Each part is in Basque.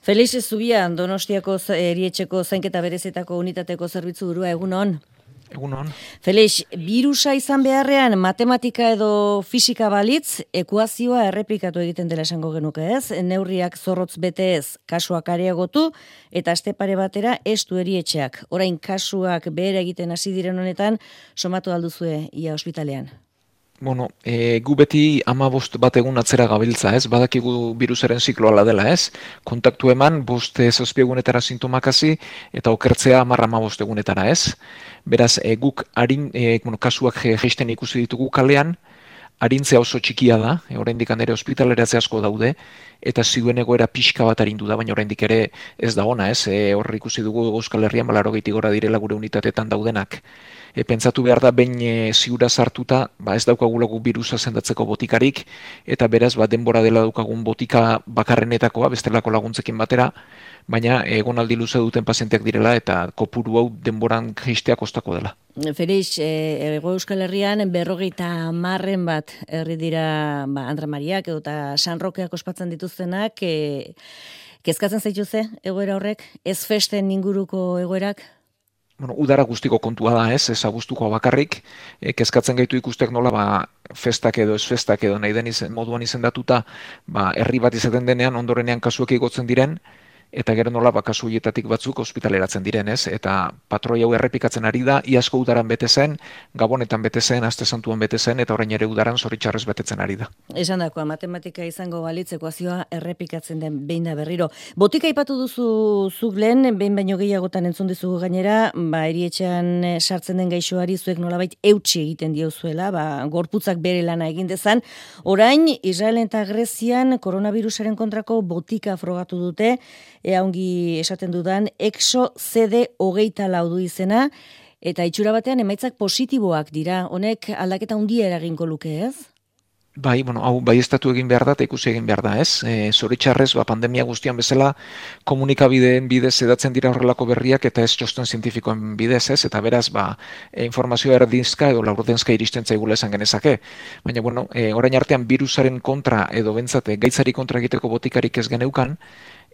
Felix Zubia, Donostiako erietxeko zainketa berezetako unitateko zerbitzu burua, egunon. Egunon. Felix, birusa izan beharrean matematika edo fisika balitz, ekuazioa erreplikatu egiten dela esango genuke ez, neurriak zorrotz bete ez, kasuak areagotu, eta aste pare batera estu erietxeak. Orain kasuak behera egiten hasi diren honetan, somatu alduzue ia ospitalean. Bueno, gu beti 15 bat egun atzera gabiltza, ez? Badakigu birusaren zikloa dela, ez? Kontaktu eman, 5-7 egunetara sintomak hasi eta okertzea 10-15 egunetara, ez? Beraz, guk kasuak jaisten ikusi ditugu kalean, arintzea oso txikia da, oraindik ere ospitaleratze asko daude, eta zioen egoera pixka bat arindu da, baina oraindik ere ez da ona, ez? Hor ikusi dugu Euskal Herrian 80 gora direla gure unitatetan daudenak. Pentsatu behar da, behin ziura sartuta, ez daukagulagu birusa sendatzeko botikarik, eta beraz, denbora dela daukagun botika bakarrenetakoa, bestelako laguntzekin batera, baina egonaldi luze duten pazienteak direla, eta kopuru hau denboran jaistea kostako dela. Felix, Hego Euskal Herrian 50 bat herri dira Andra Mariak edo eta San Rokeak ospatzen dituztenak, kezkatzen zaituze egoera horrek, ez festen inguruko egoerak? Bueno, udara guztiko kontua da, ez abuztuko bakarrik, kezkatzen gaitu ikustek nola, festak edo ez festak edo nahi den moduan izendatuta, herri bat izaten denean, ondorenean kasuek igotzen diren, eta gero nola kasu hietatik batzuk ospitaleratzen diren, ez? Eta patroi hau errepikatzen ari da, iazko udaran bete zen, Gabonetan bete zen, Aste Santuan bete zen, eta orain ere udaran zoritxarrez betetzen ari da. Esan dakoa, matematika izango balitz ekuazioa errepikatzen den behin da berriro. Botika aipatu duzu zuk lehen, behin baino gehiagotan entzun dizugu gainera, erietxean sartzen den gaixoari zuek nolabait eutsi egiten diozuela, gorputzak bere lana egin dezan. Orain, Israelen eta Grezian koronavirusaren kontrako botika frogatu dute, ongi esaten dudan, EXO-CD24 du izena, eta itxura batean emaitzak positiboak dira. Honek aldaketa handia eragingo luke, ez? Hau baieztatu egin behar da eta ikusi egin behar da, ez? Zoritxarrez, pandemia guztian bezala komunikabideen bidez edatzen dira horrelako berriak eta ez txosten zientifikoen bidez, ez? Eta beraz, informazioa erdinzka edo laurdentzka iristen zaigula esan genezake. Baina, orain artean virusaren kontra edo bentsate gaitzari kontra egiteko botikarik ez geneukan,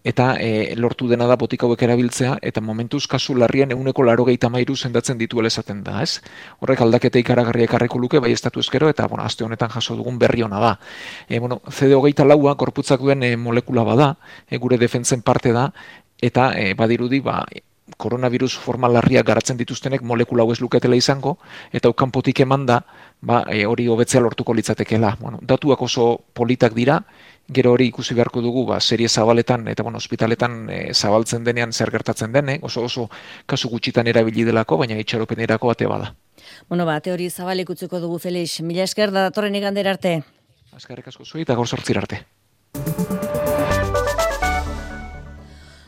eta lortu dena da botika hauek erabiltzea, eta momentuz kasu larrian 193 sendatzen dituela esaten da, ez? Horrek aldaketa ikaragarriak ekarriko luke, baieztatu ezkero, eta aste honetan jaso dugun berri ona da. CD24 gorputzak duen molekula bada, gure defentzen parte da, eta badirudi, koronavirus forma larriak garatzen dituztenek molekula hau ez luketela izango, eta kanpotik eman da, hori hobetzea lortuko litzatekeela. Datuak oso politak dira, gero hori ikusi beharko dugu, serie zabaletan eta ospitaletan zabaltzen denean zer gertatzen den, oso kasu gutxitan erabili delako, baina itxaropenerako ate bada. Ate hori zabalik utziko dugu, Felix. Mila esker da datorren igandera arte. Eskerrik asko zuei eta gaur 8 arte.